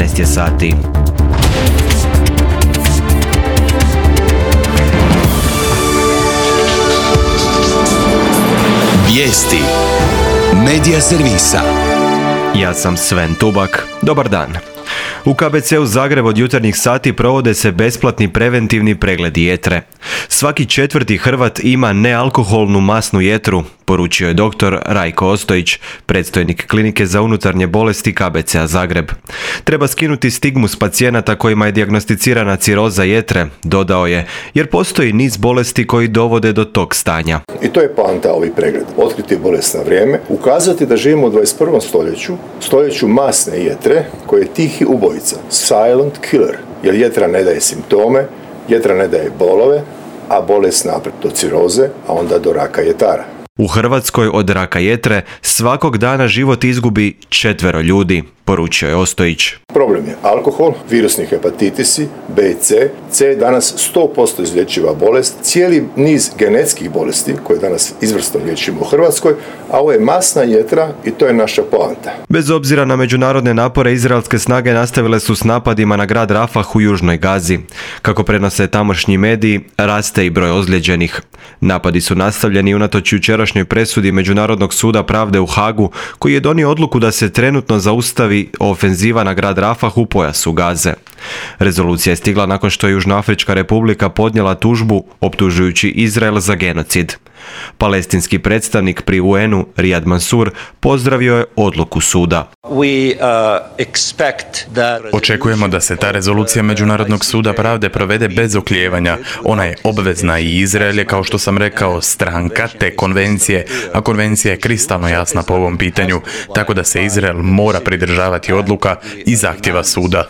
19 je sati. Vijesti Medija servisa. Ja sam Sven Tubak. Dobar dan. U KBC-u Zagreb od jutarnjih sati provode se besplatni preventivni pregledi jetre. Svaki četvrti Hrvat ima nealkoholnu masnu jetru, poručio je dr. Rajko Ostojić, predstojnik klinike za unutarnje bolesti KBC-a Zagreb. Treba skinuti stigmu s pacijenata kojima je dijagnosticirana ciroza jetre, dodao je, jer postoji niz bolesti koji dovode do tog stanja. I to je poanta ovih pregleda. Otkriti bolest na vrijeme, ukazati da živimo u 21. stoljeću masne jetre koje je tihi ubojica, silent killer, jer jetra ne daje simptome, jetra ne daje bolove, a bolest naprijed do ciroze, a onda do raka jetara. U Hrvatskoj od raka jetre svakog dana život izgubi 4 ljudi, poručio je Ostojić. Problem je alkohol, virusni hepatitisi, B i C. C je danas 100% izlječiva bolest, cijeli niz genetskih bolesti koje danas izvrsno liječimo u Hrvatskoj, a ovo je masna jetra i to je naša poanta. Bez obzira na međunarodne napore, izraelske snage nastavile su s napadima na grad Rafah u južnoj Gazi. Kako prenose tamošnji mediji, raste i broj ozlijeđenih. Napadi su nastavljeni unatoč jučerašnjoj presudi Međunarodnog suda pravde u Hagu, koji je donio odluku da se trenutno zaustavi ofenziva na grad Rafah u pojasu Gaze. Rezolucija je stigla nakon što je Južnoafrička republika podnijela tužbu optužujući Izrael za genocid. Palestinski predstavnik pri UN-u Riyad Mansour pozdravio je odluku suda. Očekujemo da se ta rezolucija Međunarodnog suda pravde provede bez oklijevanja. Ona je obvezna i Izrael je, kao što sam rekao, stranka te konvencije, a konvencija je kristalno jasna po ovom pitanju, tako da se Izrael mora pridržavati odluka i zahtjeva suda.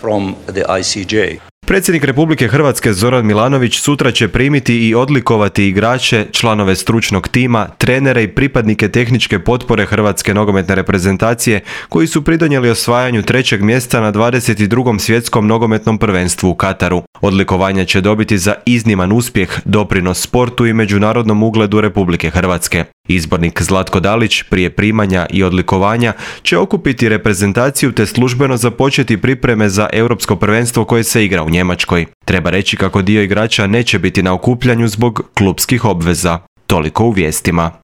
Predsjednik Republike Hrvatske Zoran Milanović sutra će primiti i odlikovati igrače, članove stručnog tima, trenere i pripadnike tehničke potpore Hrvatske nogometne reprezentacije koji su pridonijeli osvajanju 3. mjesta na 22. svjetskom nogometnom prvenstvu u Kataru. Odlikovanja će dobiti za izniman uspjeh, doprinos sportu i međunarodnom ugledu Republike Hrvatske. Izbornik Zlatko Dalić prije primanja i odlikovanja će okupiti reprezentaciju te službeno započeti pripreme za europsko prvenstvo koje se igra u Njemačkoj. Treba reći kako dio igrača neće biti na okupljanju zbog klupskih obveza. Toliko u vijestima.